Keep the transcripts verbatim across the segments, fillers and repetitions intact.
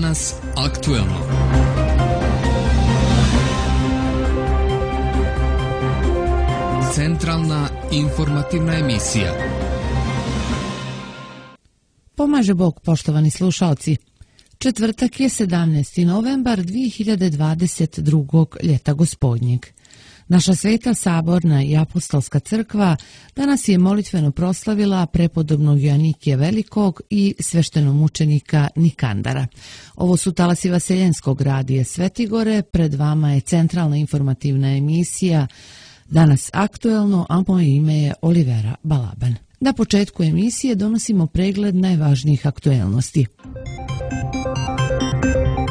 Danas aktuelno. Centralna informativna emisija. Pomaže Bog, poštovani slušalci. Četvrtak je sedamnaesti novembar dvije hiljade dvadeset drugog ljeta gospodnjeg. Naša sveta saborna i apostolska crkva danas je molitveno proslavila prepodobnog Joanikija Velikog i sveštenomučenika Nikandara. Ovo su talasi Vaseljenskog radija Svetigore, pred vama je centralna informativna emisija Danas aktuelno, a moje ime je Olivera Balaban. Na početku emisije donosimo pregled najvažnijih aktuelnosti.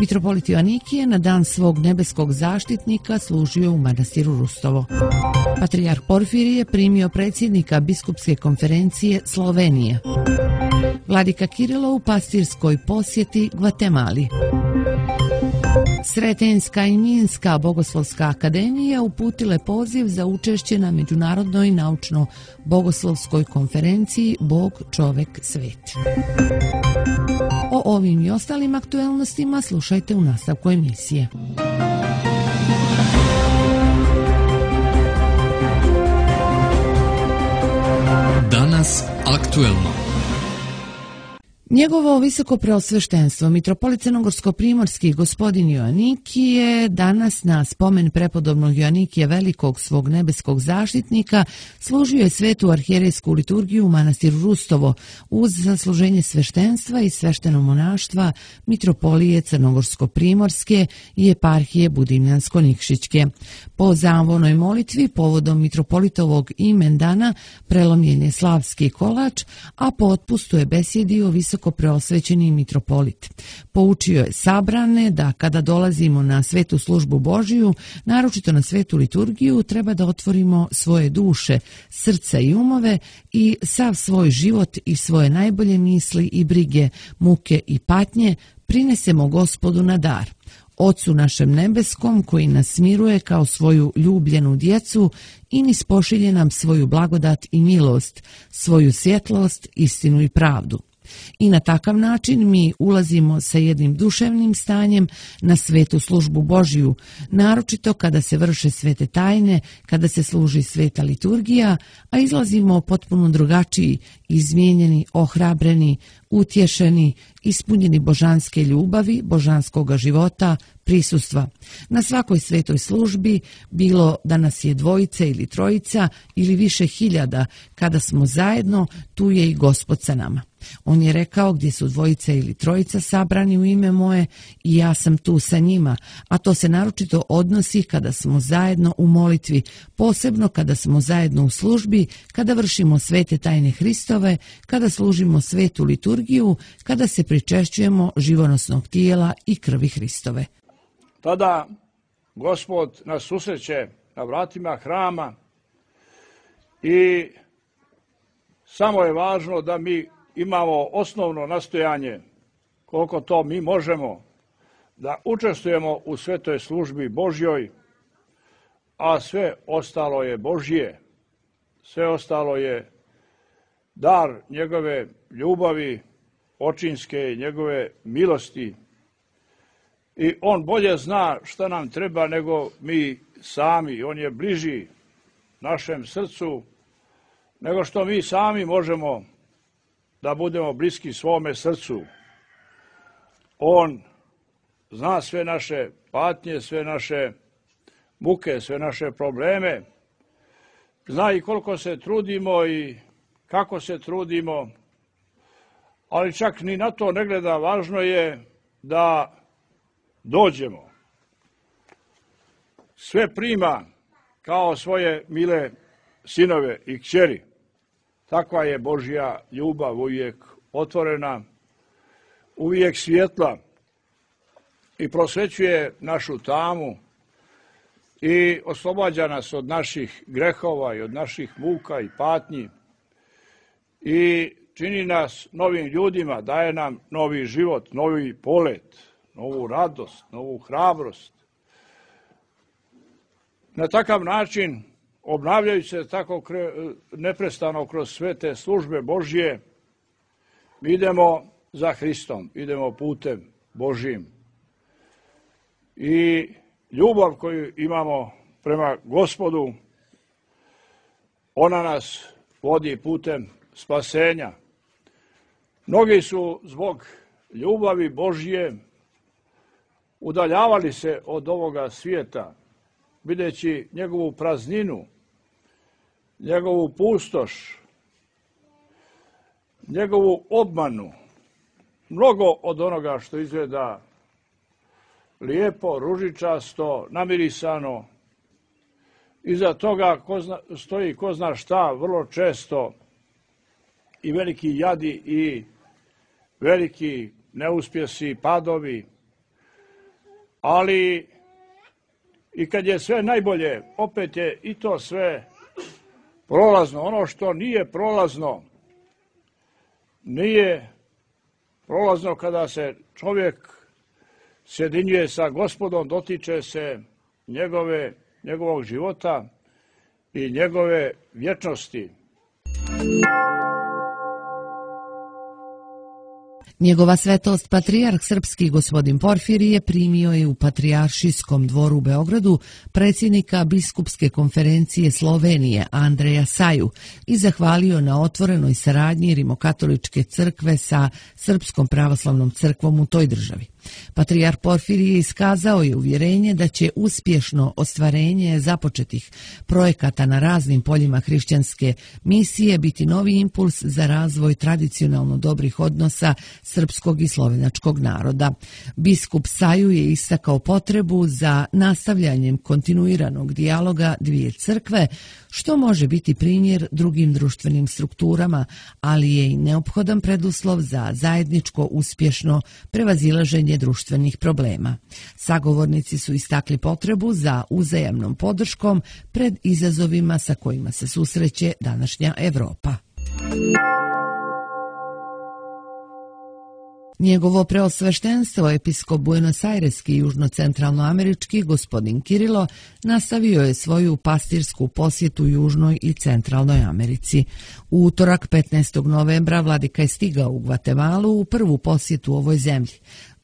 Mitropolit Joanikije na dan svog nebeskog zaštitnika služio u manastiru Rustovo. Patrijarh Porfirije primio predsjednika biskupske konferencije Slovenije. Vladika Kirilo u pastirskoj posjeti Gvatemali. Sretenjska i Minska bogoslovska akademija uputile poziv za učešće na međunarodnoj naučno-bogoslovskoj konferenciji Bog, čovek, svet. O ovim i ostalim aktuelnostima slušajte u nastavku emisije. Danas aktuelno. Njegovo visoko preosveštenstvo, mitropolit crnogorsko-primorski gospodin Joanikije, danas na spomen prepodobnog Joanikija Velikog, svog nebeskog zaštitnika, služio je svetu arhijerejsku liturgiju u manastiru Rustovo uz zasluženje sveštenstva i sveštenomonaštva mitropolije crnogorsko-primorske i eparhije Budimljansko-Nikšićke. Po zavonoj molitvi povodom mitropolitovog imendana prelomljen je slavski kolač, a po otpustu je besjedio visoko preosvećeni mitropolit. Poučio je sabrane da kada dolazimo na svetu službu Božiju, naročito na svetu liturgiju, treba da otvorimo svoje duše, srca i umove i sav svoj život i svoje najbolje misli i brige, muke i patnje prinesemo Gospodu na dar, Ocu našem nebeskom koji nas miruje kao svoju ljubljenu djecu i niz pošilje nam svoju blagodat i milost, svoju svjetlost, istinu i pravdu. I na takav način mi ulazimo sa jednim duševnim stanjem na svetu službu Božiju, naročito kada se vrše svete tajne, kada se služi sveta liturgija, a izlazimo potpuno drugačiji, izmijenjeni, ohrabreni, utješeni, ispunjeni božanske ljubavi, božanskoga života, prisustva. Na svakoj svetoj službi, bilo da nas je dvojica ili trojica ili više hiljada, kada smo zajedno, tu je i Gospod sa nama. On je rekao, gdje su dvojica ili trojica sabrani u ime moje, i ja sam tu sa njima, a to se naročito odnosi kada smo zajedno u molitvi, posebno kada smo zajedno u službi, kada vršimo svete tajne Hristove, kada služimo svetu liturgiju, kada se pričešćujemo živonosnog tijela i krvi Hristove. Tada Gospod nas susreće na vratima hrama i samo je važno da mi imamo osnovno nastojanje, koliko to mi možemo, da učestvujemo u svetoj službi Božjoj, a sve ostalo je Božje, sve ostalo je dar njegove ljubavi, očinske i njegove milosti. I on bolje zna šta nam treba nego mi sami. On je bliži našem srcu nego što mi sami možemo da budemo bliski svome srcu. On zna sve naše patnje, sve naše muke, sve naše probleme. Zna i koliko se trudimo i kako se trudimo, ali čak ni na to ne gleda. Važno je da dođemo. Sve prima kao svoje mile sinove i kćeri. Takva je Božja ljubav, uvijek otvorena, uvijek svjetla i prosvećuje našu tamu i oslobađa nas od naših grehova i od naših muka i patnji i čini nas novim ljudima, daje nam novi život, novi polet, novu radost, novu hrabrost. Na takav način, obnavljajući se tako neprestano kroz sve te službe Božje, mi idemo za Hristom, idemo putem Božjim. I ljubav koju imamo prema Gospodu, ona nas vodi putem spasenja. Mnogi su zbog ljubavi Božje udaljavali se od ovoga svijeta, videći njegovu prazninu, njegovu pustoš, njegovu obmanu, mnogo od onoga što izgleda lijepo, ružičasto, namirisano. Iza toga ko zna, stoji ko zna šta, vrlo često i veliki jadi i veliki neuspjesi, padovi. Ali i kad je sve najbolje, opet je i to sve prolazno. Ono što nije prolazno, nije prolazno kada se čovjek sjedinjuje sa Gospodom, dotiče se njegove, njegovog života i njegove vječnosti. Njegova svetost patrijarh srpski gospodin Porfirije primio je u Patrijaršijskom dvoru u Beogradu predsjednika Biskupske konferencije Slovenije Andreja Saju i zahvalio na otvorenoj saradnji Rimokatoličke crkve sa Srpskom pravoslavnom crkvom u toj državi. Patrijarh Porfirije iskazao je uvjerenje da će uspješno ostvarenje započetih projekata na raznim poljima hrišćanske misije biti novi impuls za razvoj tradicionalno dobrih odnosa srpskog i slovenačkog naroda. Biskup Saju je istakao potrebu za nastavljanjem kontinuiranog dijaloga dvije crkve, što može biti primjer drugim društvenim strukturama, ali je i neophodan preduslov za zajedničko uspješno prevazilaženje društvenih problema. Sagovornici su istakli potrebu za uzajamnom podrškom pred izazovima sa kojima se susreće današnja Evropa. Njegovo preosveštenstvo episkop Buenos-Aireski i južno-centralnoamerički gospodin Kirilo nastavio je svoju pastirsku posjetu Južnoj i Centralnoj Americi. U utorak petnaestog novembra vladika je stigao u Gvatemalu u prvu posjetu ovoj zemlji.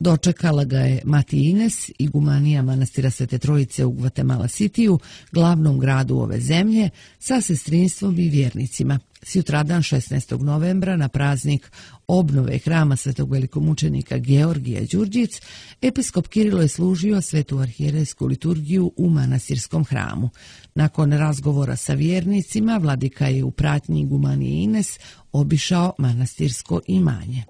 Dočekala ga je Mati Ines, igumanija manastira Svete Trojice u Gvatemala Cityu, glavnom gradu ove zemlje, sa sestrinstvom i vjernicima. Sutradan šesnaestog novembra na praznik obnove hrama svetog velikomučenika Georgija Đurđic, episkop Kirilo je služio svetu arhijerejsku liturgiju u manastirskom hramu. Nakon razgovora sa vjernicima, vladika je u pratnji igumanije Ines obišao manastirsko imanje.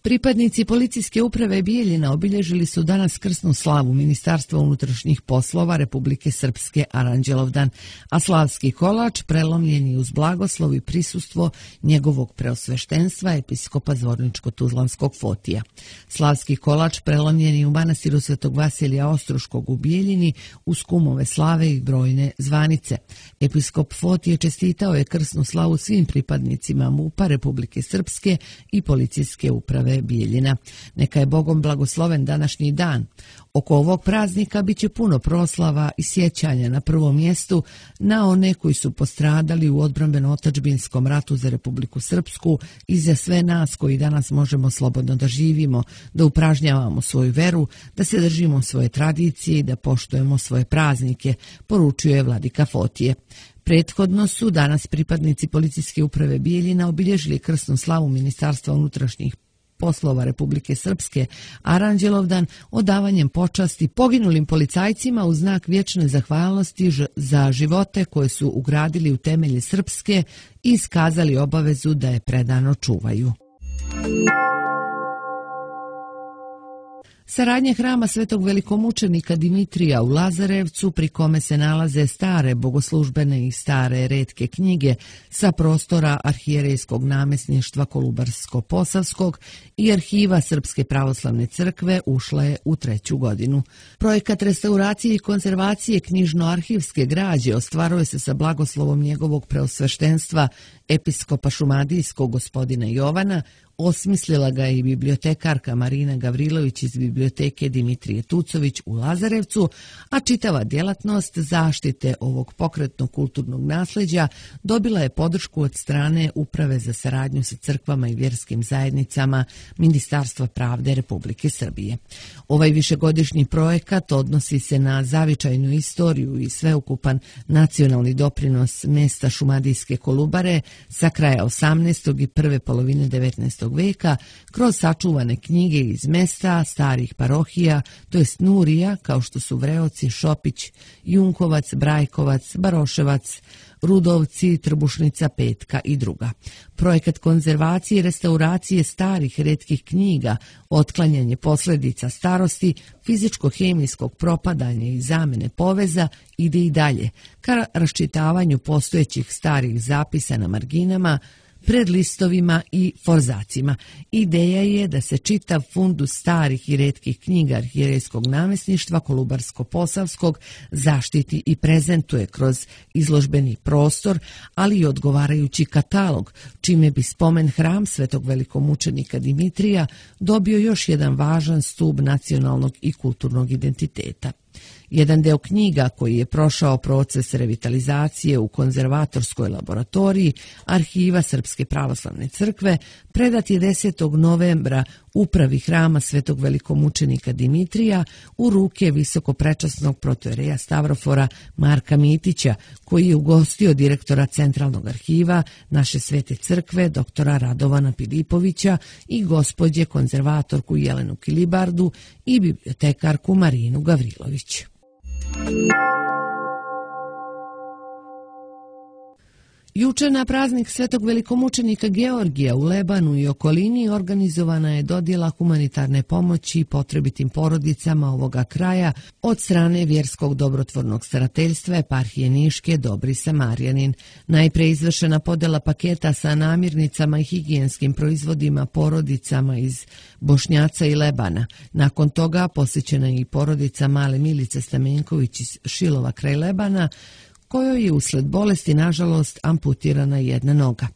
Pripadnici policijske uprave Bijeljina obilježili su danas krsnu slavu Ministarstva unutrašnjih poslova Republike Srpske Aranđelovdan, a slavski kolač prelomljen je uz blagoslov i prisustvo njegovog preosveštenstva episkopa Zvorničko-Tuzlanskog Fotija. Slavski kolač prelomljen je u manastiru Svetog Vasilija Ostruškog u Bijeljini uz kumove slave i brojne zvanice. Episkop Fotije čestitao je krsnu slavu svim pripadnicima MUP-a Republike Srpske i policijske uprave Bijeljina. Neka je Bogom blagosloven današnji dan. Oko ovog praznika bit će puno proslava i sjećanja na prvom mjestu na one koji su postradali u odbrambeno-otadžbinskom ratu za Republiku Srpsku i za sve nas koji danas možemo slobodno da živimo, da upražnjavamo svoju veru, da se držimo svoje tradicije i da poštujemo svoje praznike, poručuje vladika Fotije. Prethodno su danas pripadnici policijske uprave Bijeljina obilježili krsnu slavu Ministarstva unutrašnjih poslova Republike Srpske Aranđelovdan odavanjem počasti poginulim policajcima u znak vječne zahvalnosti za živote koje su ugradili u temelje Srpske i iskazali obavezu da je predano čuvaju. Saradnja hrama svetog velikomučenika Dimitrija u Lazarevcu, pri kome se nalaze stare bogoslužbene i stare retke knjige sa prostora arhijerejskog namjesništva Kolubarsko-Posavskog i arhiva Srpske pravoslavne crkve, ušla je u treću godinu. Projekat restauracije i konzervacije knjižno-arhivske građe ostvaruje se sa blagoslovom njegovog preosveštenstva episkopa šumadijskog gospodina Jovana Osmislila ga je i bibliotekarka Marina Gavrilović iz biblioteke Dimitrije Tucović u Lazarevcu, a čitava djelatnost zaštite ovog pokretnog kulturnog nasleđa dobila je podršku od strane Uprave za saradnju sa crkvama i vjerskim zajednicama Ministarstva pravde Republike Srbije. Ovaj višegodišnji projekat odnosi se na zavičajnu istoriju i sveukupan nacionalni doprinos mesta Šumadijske Kolubare sa kraja osamnaestog i prve polovine devetnaestog veka kroz sačuvane knjige iz mesta, starih parohija, to jest Nurija, kao što su Vreoci, Šopić, Junkovac, Brajkovac, Baroševac, Rudovci, Trbušnica, Petka i druga. Projekat konzervacije i restauracije starih retkih knjiga, otklanjanje posljedica starosti, fizičko-hemijskog propadanja i zamene poveza ide i dalje, ka raščitavanju postojećih starih zapisa na marginama, pred listovima i forzacima. Ideja je da se čitav fundus starih i retkih knjiga arhijerejskog namjesništva Kolubarsko-Posavskog zaštiti i prezentuje kroz izložbeni prostor, ali i odgovarajući katalog, čime bi spomen hram svetog velikomučenika Dimitrija dobio još jedan važan stub nacionalnog i kulturnog identiteta. Jedan deo knjiga koji je prošao proces revitalizacije u konzervatorskoj laboratoriji Arhiva Srpske pravoslavne crkve predat je desetog novembra upravi hrama svetog velikomučenika Dimitrija u ruke visokoprečasnog protojereja Stavrofora Marka Mitića, koji je ugostio direktora Centralnog arhiva naše svete crkve doktora Radovana Pilipovića i gospođe konzervatorku Jelenu Kilibardu i bibliotekarku Marinu Gavrilović. Juče na praznik svetog velikomučenika Georgija u Lebanu i okolini organizovana je dodjela humanitarne pomoći potrebitim porodicama ovoga kraja od strane vjerskog dobrotvornog starateljstva Eparhije Niške Dobri Samarijanin. Najpre izvršena podjela paketa sa namirnicama i higijenskim proizvodima porodicama iz Bošnjaca i Lebana. Nakon toga posjećena je i porodica male Milice Stamenković iz Šilova kraj Lebana, kojoj je usled bolesti, nažalost, amputirana jedna noga.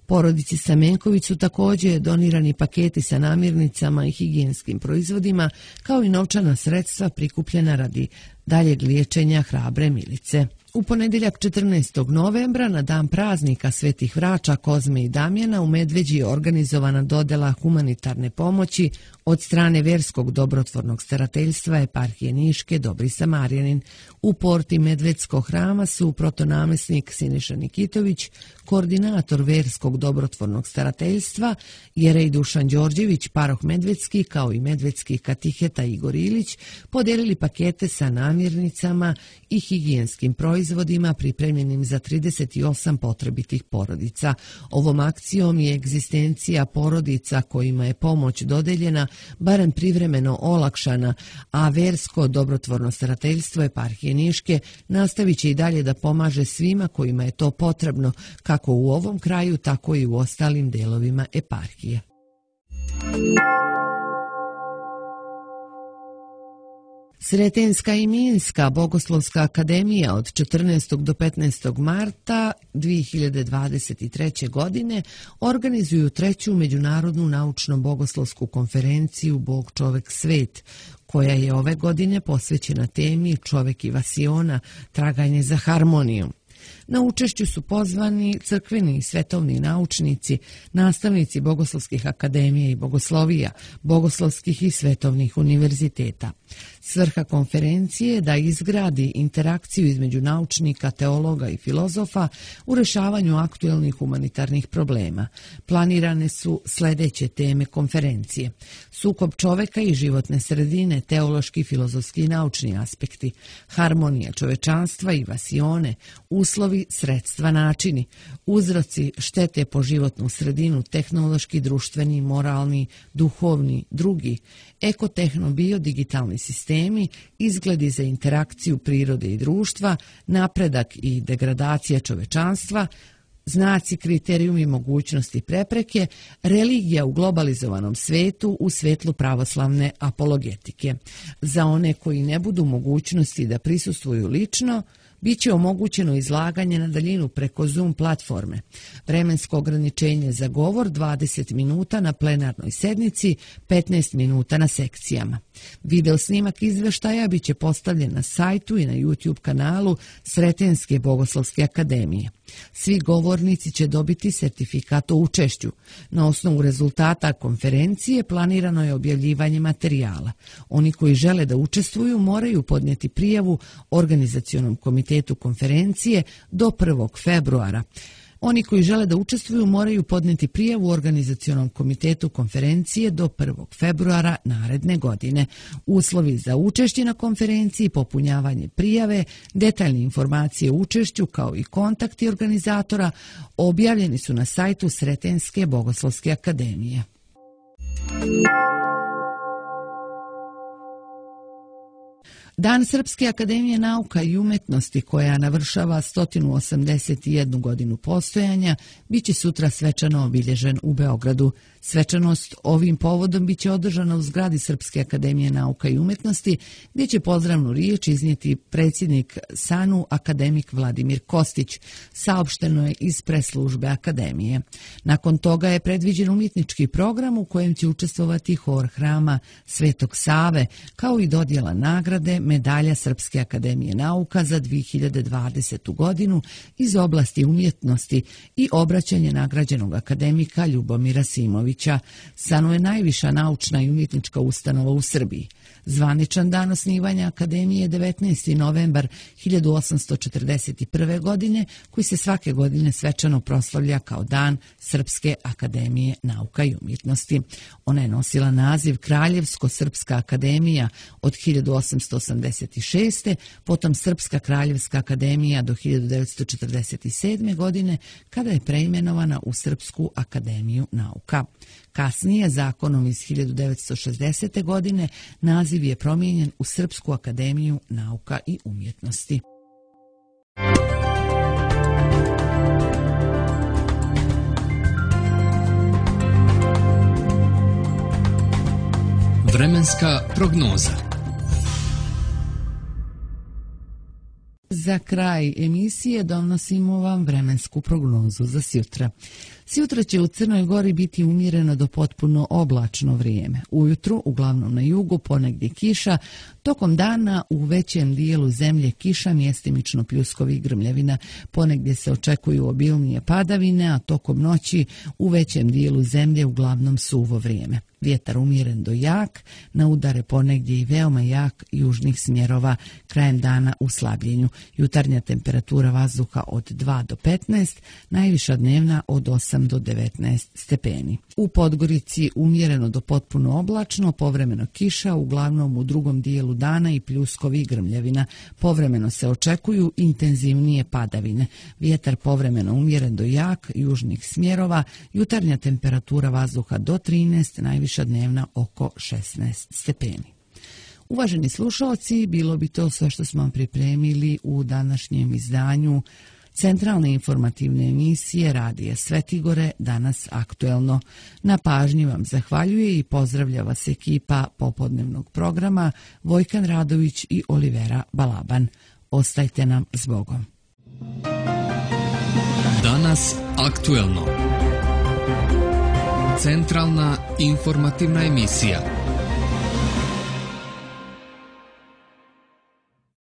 Porodici Stamenković su također donirani paketi sa namirnicama i higijenskim proizvodima, kao i novčana sredstva prikupljena radi daljeg liječenja hrabre Milice. U ponedjeljak četrnaestog novembra, na dan praznika Svetih vrača Kozme i Damjana, u Medveđi je organizovana dodjela humanitarne pomoći od strane vjerskog dobrotvornog starateljstva Eparhije Niške Dobri Samarijanin. U porti Medvedskog hrama su protonamjesnik Siniša Nikitović, koordinator vjerskog dobrotvornog starateljstva, jerej Dušan Đorđević, paroh Medvedski, kao i medvedski katiheta Igor Ilić, podijelili pakete sa namirnicama i higijenskim proizvodima pripremljenim za trideset osam potrebitih porodica. Ovom akcijom je egzistencija porodica kojima je pomoć dodeljena barem privremeno olakšana, a versko dobrotvorno starateljstvo Eparhije Niške nastavit će i dalje da pomaže svima kojima je to potrebno, kako u ovom kraju, tako i u ostalim delovima eparhije. Sretenska i Minska bogoslovska akademija od četrnaestog do petnaestog marta dvije hiljade dvadeset treće. godine organizuju treću međunarodnu naučno-bogoslovsku konferenciju Bog, čovek, svet, koja je ove godine posvećena temi Čovek i vasiona, traganje za harmonijom. Na učešću su pozvani crkveni i svetovni naučnici, nastavnici bogoslovskih akademija i bogoslovija, bogoslovskih i svetovnih univerziteta. Svrha konferencije je da izgradi interakciju između naučnika, teologa i filozofa u rješavanju aktuelnih humanitarnih problema. Planirane su sljedeće teme konferencije: sukob čoveka i životne sredine, teološki, filozofski i naučni aspekti, harmonija čovečanstva i vasione, uslovi, sredstva, načini, uzroci štete po životnu sredinu, tehnološki, društveni, moralni, duhovni, drugi, ekotehno, biodigitalni sistemi, izgledi za interakciju prirode i društva, napredak i degradacija čovečanstva, znaci, kriterijumi, mogućnosti, prepreke, religija u globalizovanom svetu u svetlu pravoslavne apologetike. Za one koji ne budu mogućnosti da prisustvuju lično, Biće omogućeno izlaganje na daljinu preko Zoom platforme. Vremensko ograničenje za govor dvadeset minuta na plenarnoj sednici, petnaest minuta na sekcijama. Video snimak izveštaja biće postavljen na sajtu i na YouTube kanalu Sretenske bogoslovske akademije. Svi govornici će dobiti sertifikat o učešću. Na osnovu rezultata konferencije planirano je objavljivanje materijala. Oni koji žele da učestvuju moraju podnijeti prijavu Organizacionom komitetu konferencije do prvog februara. Oni koji žele da učestvuju moraju podnijeti prijavu Organizacionom komitetu konferencije do prvog februara naredne godine. Uslovi za učešće na konferenciji, popunjavanje prijave, detaljne informacije o učešću kao i kontakti organizatora objavljeni su na sajtu Sretenske bogoslovske akademije. Dan Srpske akademije nauka i umetnosti, koja navršava sto osamdeset jednu godinu postojanja, biće sutra svečano obilježen u Beogradu. Svečanost ovim povodom biće održana u zgradi Srpske akademije nauka i umetnosti, gdje će pozdravnu riječ iznijeti predsjednik S A N U akademik Vladimir Kostić, saopšteno je iz preslužbe akademije. Nakon toga je predviđen umjetnički program u kojem će učestvovati hor hrama Svetog Save, kao i dodjela nagrade medalja Srpske akademije nauka za dvije hiljade dvadesetu godinu iz oblasti umjetnosti i obraćanje nagrađenog akademika Ljubomira Simovića. S A N U je najviša naučna i umjetnička ustanova u Srbiji. Zvaničan dan osnivanja akademije je devetnaesti novembar hiljadu osamsto četrdeset prve. godine, koji se svake godine svečano proslavlja kao Dan Srpske akademije nauka i umjetnosti. Ona je nosila naziv Kraljevsko-Srpska akademija od hiljadu osamsto osamdeset šeste. potom Srpska kraljevska akademija do hiljadu devetsto četrdeset sedme. godine, kada je preimenovana u Srpsku akademiju nauka. Kasnije, zakonom iz hiljadu devetsto šezdesete. godine, naziv je promijenjen u Srpsku akademiju nauka i umjetnosti. Vremenska prognoza. Za kraj emisije donosimo vam vremensku prognozu za sjutra. Sjutra će u Crnoj Gori biti umjereno do potpuno oblačno vrijeme. Ujutru, uglavnom na jugu, ponegdje kiša, tokom dana u većem dijelu zemlje kiša, mjestimično pljuskovi i grmljavina. Ponegdje se očekuju obilnije padavine, a tokom noći u većem dijelu zemlje uglavnom suvo vrijeme. Vjetar umjeren do jak, na udare ponegdje i veoma jak južnih smjerova, krajem dana u slabljenju. Jutarnja temperatura vazduha od dva do petnaest, najviša dnevna od osam do devetnaest stepeni. U Podgorici umjereno do potpuno oblačno, povremeno kiša, uglavnom u drugom dijelu dana i pljuskovi i grmljavina. Povremeno se očekuju intenzivnije padavine. Vjetar povremeno umjeren do jak južnih smjerova, jutarnja temperatura vazduha do trinaest, najviša dnevna oko šesnaest stepeni. Uvaženi slušalci, bilo bi to sve što smo vam pripremili u današnjem izdanju centralne informativne emisije Radija Svetigore, danas aktuelno. Na pažnji vam zahvaljuje i pozdravlja vas ekipa popodnevnog programa Vojkan Radović i Olivera Balaban. Ostajte nam s Bogom. Danas aktuelno. Centralna informativna emisija.